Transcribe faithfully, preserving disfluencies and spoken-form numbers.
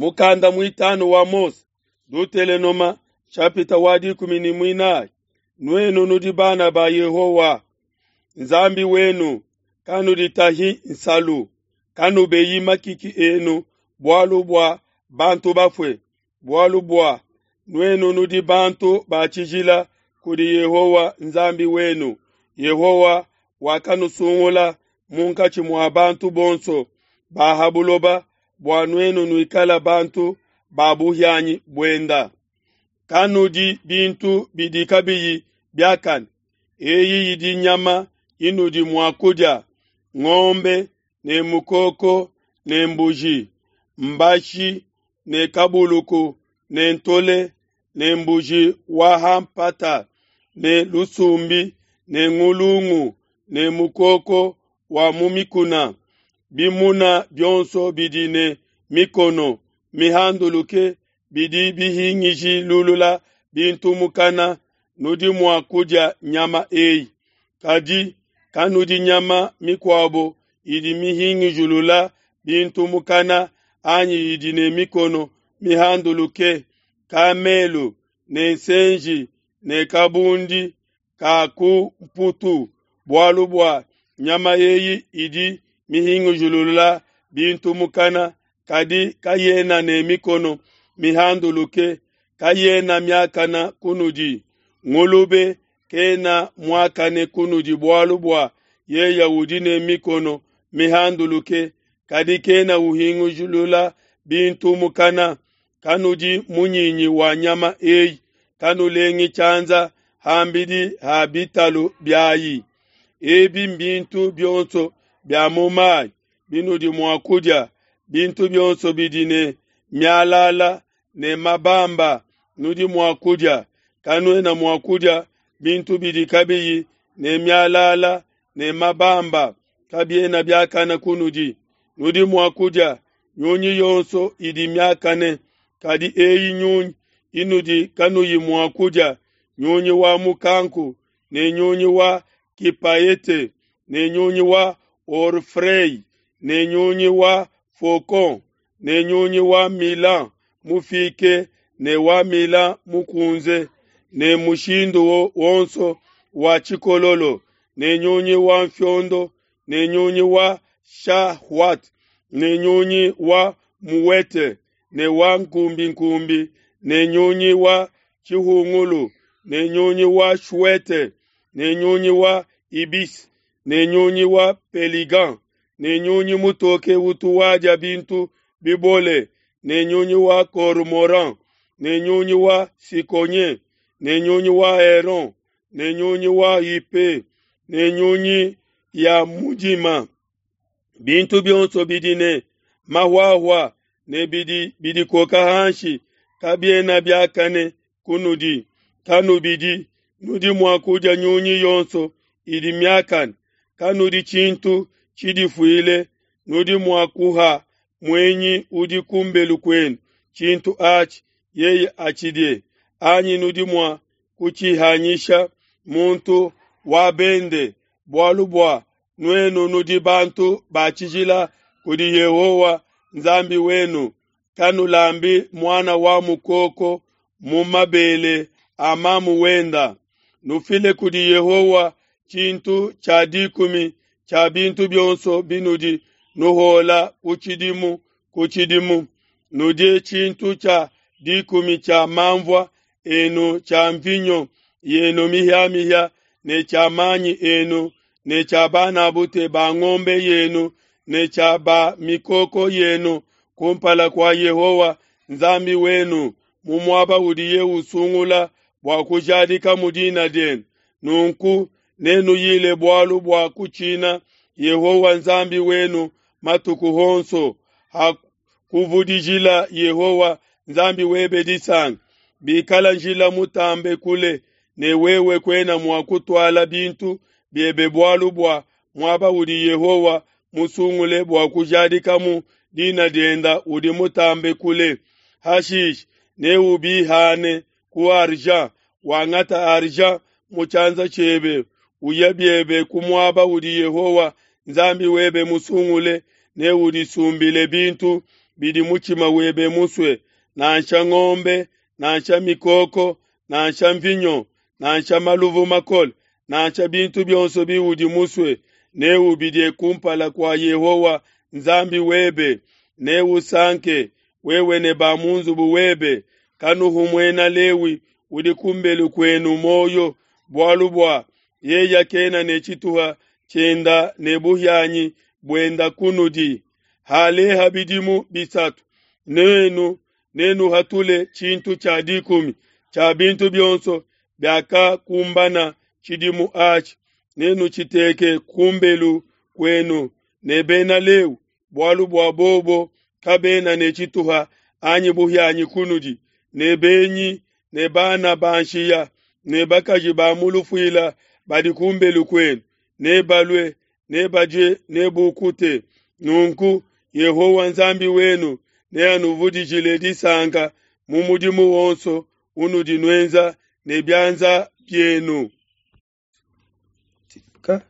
Mukanda muitanu wa Mose, Dutelenoma chapita wa dikumi ne muinayi. Nuenu nudi bana ba Yehowa Nzambi wenu, kanuditahi nsalu, kanubeyi makiki enu bualu bua bantu bafue, bualu bua nuenu nudi bantu ba tshijila kudi Yehowa Nzambi wenu. Yehowa wakanusungula munkatshi mua bantu bonso ba ha buloba bua nuenu nuikala bantu ba buhianyi buenda. Kanudi bintu bidi kabiyi biakane. Eyi idi nyama inudi mua kudia: ngombe ne mukoko ne mbuji, mbashi ne kabuluku ne ntole ne mbuji wa ha mpata ne lusumbi ne ngulungu ne mukoko wa mu mikuna. Bimuna bionso bidi ne mikono mihanduluke bidi bihingishilulula bintu mukana, nudi mua kudia nyama eyi. Kadi kanudi nyama mikuabo idi mihingishilula bintu mukana anyi idi ne mikono mihanduluke, kamelu ne nsenji ne kabundi ka ku mputu, bualu bua nyama eyi idi mihingishilula bintu mukana, kadi kayena ne mikono mihanduluke, kayena miakana kunudi. Ngulube kena muakane kunudi bualu bua yeye udi ne mikono mihanduluke, kadi kena uhingishilula bintu mukana. Kanudi munyinyi wa nyama eyi, kanulengi tshianza ham'bidi ha bitalu biayi. Ebi mbintu bionso bia mu mayi binudi mua kudia, bintu bionso bidi ne mialala ne mabamba nudi mua kudia. Kanuena mua kudia bintu bidi kabiyi ne mialala ne mabamba, kabiena biakane kunudi. Nudi mua kudia nyunyi yonso idi miakane, kadi eyi nyunyi inudi kanuyi mua kudia: nyunyi wa mukanku ne nyunyi wa kipaete ne nyunyi wa orfrey ne nyunyi wa faucon ne nyunyi wa milan mufike ne wa milan mukunze ne mushindu wonso wa tshikololo ne nyunyi wa mfiondo ne nyunyi wa shahwat ne nyunyi wa muwete ne wa nkumbinkumbi ne nyunyi wa tshihungulu ne nyunyi wa shwete ne nyunyi wa ibis ne nyunyi wa peligan ne nyunyi mutoke utu wadia bintu bibole ne nyunyi wa cormoran ne nyunyi wa sikonye ne nyunyi wa heron ne nyunyi wa ipe ne nyunyi ya mudima. Bintu bionso bidi ne mahwahwa ne bidi bidikoka hanshi kabiena biakane kunudi. Kanubidi, nudi mua kudia nyunyi yonso idi miakane. Kanudi tshintu tshidifuile, nudi mua kuha muenyi udi kumbelu kuenu tshintu atshi, yeye atshidie, anyi nudi mua kutshihanyisha muntu wa bende, bualu bua nuenu nudi bantu ba tshijila kudi Yehowa Nzambi wenu. Kanulambi muana wa mukoko mu mabele a mamu wenda. Nufile kudi Yehowa tshintu tshia dikumi tshia bintu bionso binudi nuhola ku tshidimu ku tshidimu. Nudie tshintu tshia dikumi tshia manvua enu, tshia mvinyo yenu mihiamihia ne tshia manyi enu ne tshia banabute ba ngombe yenu ne tshia ba mikoko yenu kumpala kua Yehowa Nzambi wenu mu muaba udiye usungula bua kujadika mu dina dienu. Nunku nenuyile bualu bua kutshina Yehowa Nzambi wenu matuku onso hakuvudijila Yehowa Nzambi webe disanka. Bikala njila mutambe kule ne wewe kuena mua kutuala bintu biebe bualu bua muaba udi Yehowa musungule bua kujadikamu dina dienda udi mutambe kule, hashishe neubihane ku argent, wangata argent mu tshianza tshiebe, uye biebe ku muaba udi Yehowa Nzambi webe musungule, neudisumbile bintu bidi mutshima webe musue, nansha ngombe, nansha mikoko, nansha mvinyo, nansha maluvu makole, nansha bintu bionso biudi musue, neubidie kumpala kua Yehowa Nzambi webe, neusanke, wewe ne ba mu nzubu webe. Kanuhu muena Lewi udi ku mbelu kuenu muoyo, bualu bua yeye kena ne tshituha tshienda ne buhianyi buenda kunudi. Haleha bidimu bisatu, nuenu nenuhatule tshintu tshia dikumi tshia bintu bionso biakakumbana tshidimu atshi, nenutshiteke ku mbelu kuenu ne Bena Lewi, bualu bua bobo kabena ne tshituha anyi buhianyi kunudi, ne benyi ne bana ba nshiya ne bakaji ba mu lufuila badi ku mbelu kuenu, nebalue, nebadie, nebukute. Nunku Yehowa Nzambi wenu neanuvudijile disanka mu mudimu wonso unudi nuenza ne bianza bienu. Ka-